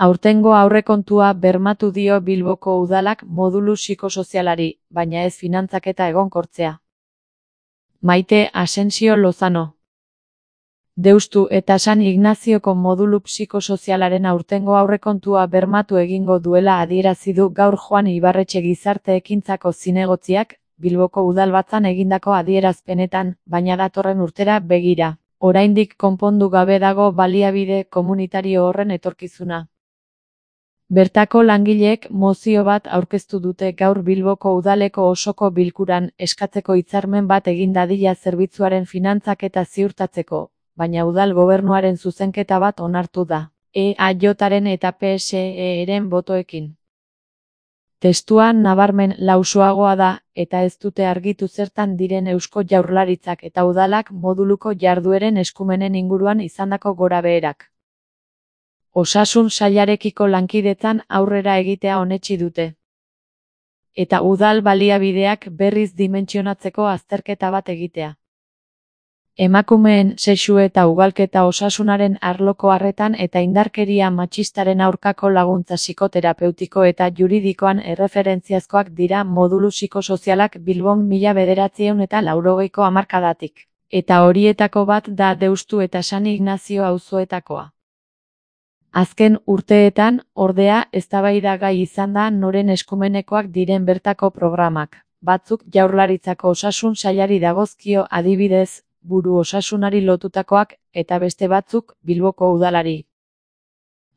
Aurtengo aurrekontua bermatu dio Bilboko udalak modulu psikosozialari, baina ez finantzaketa egonkortzea. Maite Asensio Lozano. Deustu eta San Ignazioko modulu psikosozialaren aurtengo aurrekontua bermatu egingo duela adierazi du gaur Joan Ibarretxe Gizarte Ekintzako zinegotziak, Bilboko Udalbatzan egindako adierazpenetan, baina datorren urtera begira. Oraindik konpondu gabe dago baliabide komunitario horren etorkizuna. Bertako langileek mozio bat aurkeztu dute gaur Bilboko Udaleko osoko bilkuran eskatzeko hitzarmen bat egin dadila zerbitzuaren finantzaketa ziurtatzeko, baina udal gobernuaren zuzenketa bat onartu da, EAJaren eta PSE-ren botoekin. Testua nabarmen lausoagoa da, eta ez dute argitu zertan diren Eusko Jaurlaritzak eta udalak moduluko jardueren eskumenen inguruan izandako gorabeherak. Osasun sailarekiko lankidetzan aurrera egitea onetsi dute. Eta udal baliabideak berriz dimentsionatzeko azterketa bat egitea. Emakumeen sexu eta ugalketa osasunaren arloko arretan eta indarkeria matxistaren aurkako laguntza psikoterapeutiko eta juridikoan erreferentziazkoak dira modulu psikosozialak Bilbon 1980ko hamarkadatik. Eta horietako bat da Deustu eta San Ignazio auzoetakoa. Azken urteetan, ordea, eztabaidagai izan da noren eskumenekoak diren bertako programak. Batzuk Jaurlaritzako osasun sailari dagozkio adibidez, buru osasunari lotutakoak, eta beste batzuk Bilboko udalari.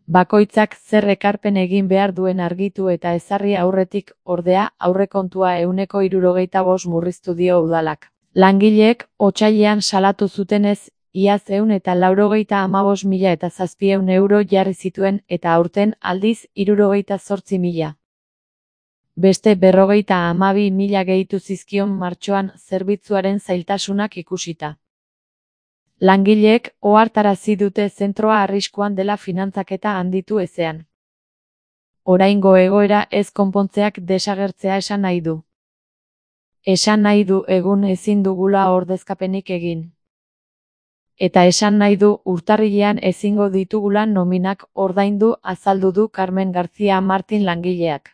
Bakoitzak zer ekarpen egin behar duen argitu eta ezarri aurretik, ordea, aurrekontua 65% murriztu dio udalak. Langileek otsailean salatu zutenez, iaz 198.700 euro jarri zituen eta aurten aldiz 68.000. Beste 52.000 gehitu zizkion martxoan zerbitzuaren zailtasunak ikusita. Langileek ohartarazi dute zentroa arriskuan dela finantzaketa handitu ezean. Oraingo egoera ez konpontzeak desagertzea esan nahi du. Esan nahi du egun ezin dugula ordezkapenik egin. Eta esan nahi du urtarrilean ezingo ditugula nominak ordaindu azaldu du Carmen García Martin langileak.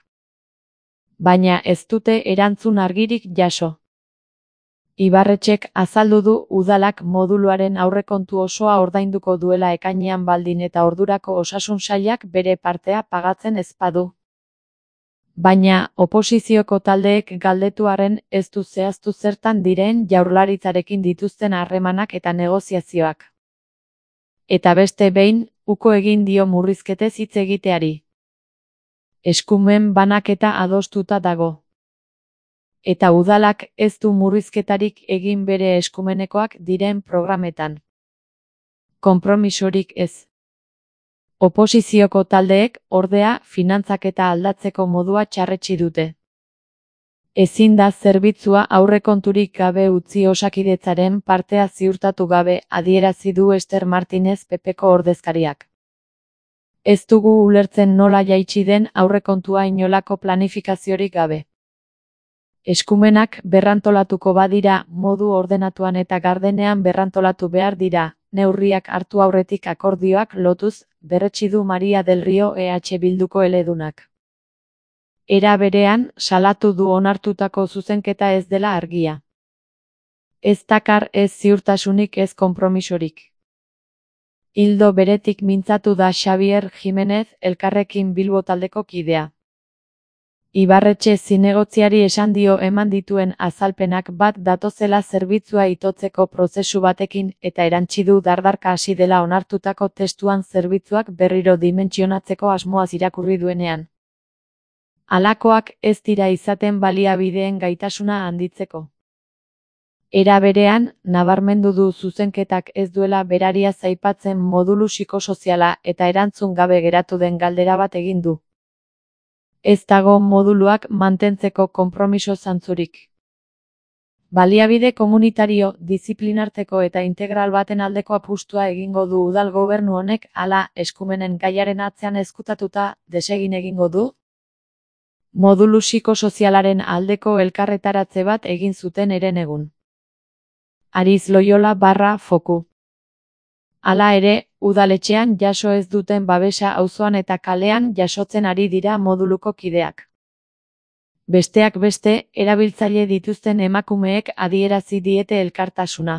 Baina ez dute erantzun argirik jaso. Ibarretxek azaldu du udalak moduluaren aurrekontu osoa ordainduko duela ekainean baldin eta ordurako osasun sailak bere partea pagatzen ez badu. Baina oposizioko taldeek galdetuaren ez du zehaztu zertan diren Jaurlaritzarekin dituzten harremanak eta negoziazioak. Eta beste behin, uko egin dio murrizketez hitz egiteari. Eskumen banaketa adostuta dago. Eta udalak ez du murrizketarik egin bere eskumenekoak diren programetan. Konpromisorik ez. Oposizioko taldeek, ordea, finantzaketa aldatzeko modua txarretsi dute. Ezin da zerbitzua aurrekonturik gabe utzi Osakidetzaren partea ziurtatu gabe adierazi du Ester Martinez PPko ordezkariak. Ez dugu ulertzen nola jaitsi den aurrekontua inolako planifikaziorik gabe. Eskumenak berrantolatuko badira, modu ordenatuan eta gardenean berrantolatu behar dira, neurriak hartu aurretik akordioak lotuz, berretsi du Maria del Rio EH Bilduko eledunak. Era berean, salatu du onartutako zuzenketa ez dela argia. Ez dakar ez ziurtasunik ez konpromisorik. Ildo beretik mintzatu da Xabier Jimenez Elkarrekin Bilbo taldeko kidea. Ibarretxe zinegotziari esan dio eman dituen azalpenak bat datozela zerbitzua itotzeko prozesu batekin eta erantsi du dardarka hasi dela onartutako testuan zerbitzuak berriro dimentsionatzeko asmoaz irakurri duenean. Halakoak ez dira izaten baliabideen gaitasuna handitzeko. Era berean, nabarmendu du zuzenketak ez duela berariaz aipatzen modulu psikosoziala eta erantzun gabe geratu den galdera bat egin du. Ez dago moduluak mantentzeko konpromiso zantzurik. Baliabide komunitario, diziplinarteko eta integral baten aldeko apustua egingo du udal gobernu honek, hala eskumenen gaiaren atzean ezkutatuta desegin egingo du? Modulu psikosozialaren aldeko elkarretaratze bat egin zuten herenegun. Ariz Loyola /Foku Hala ere, udaletxean jaso ez duten babesa auzoan eta kalean jasotzen ari dira moduluko kideak. Besteak beste, erabiltzaile dituzten emakumeek adierazi diete elkartasuna.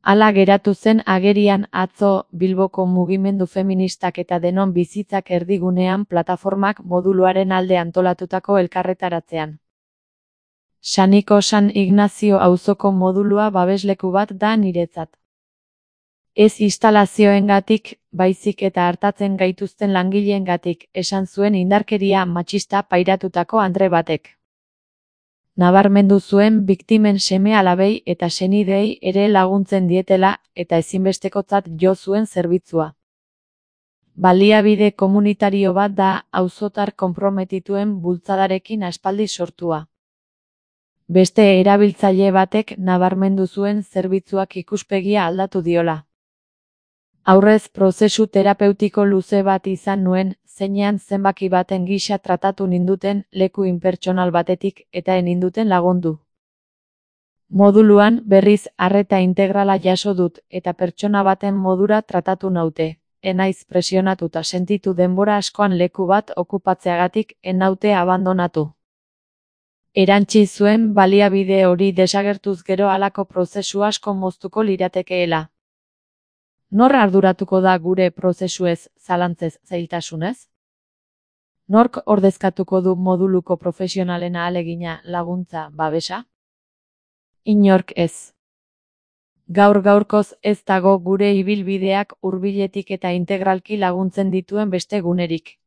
Hala geratu zen agerian atzo Bilboko mugimendu feministak eta denon bizitzak erdigunean plataformak moduluaren alde antolatutako elkarretaratzean. Saniko San Ignazio auzoko modulua babesleku bat da niretzat. Ez instalazioengatik, baizik eta hartatzen gaituzten langileengatik, esan zuen indarkeria matxista pairatutako andre batek. Nabarmendu zuen biktimen seme-alabei eta senideei ere laguntzen dietela eta ezinbestekotzat jo zuen zerbitzua. Baliabide komunitario bat da auzotar konprometituen bultzadarekin aspaldi sortua. Beste erabiltzaile batek nabarmendu zuen zerbitzuak ikuspegia aldatu diola. Aurrez prozesu terapeutiko luze bat izan nuen, zeinean zenbaki baten gisa tratatu ninduten leku inpertsonal batetik eta eninduten lagundu. Moduluan berriz arreta integrala jaso dut eta pertsona baten modura tratatu naute. Enaiz presionatuta sentitu denbora askoan leku bat okupatzeagatik enaute abandonatu. Erantsi zuen baliabide hori desagertuz gero halako prozesu asko moztuko liratekeela. Nor arduratuko da gure prozesuez, zalantzez, zailtasunez? Nork ordezkatuko du moduluko profesionalen ahalegina, laguntza, babesa? Inork ez. Gaur-gaurkoz ez dago gure ibilbideak hurbiletik eta integralki laguntzen dituen beste gunerik.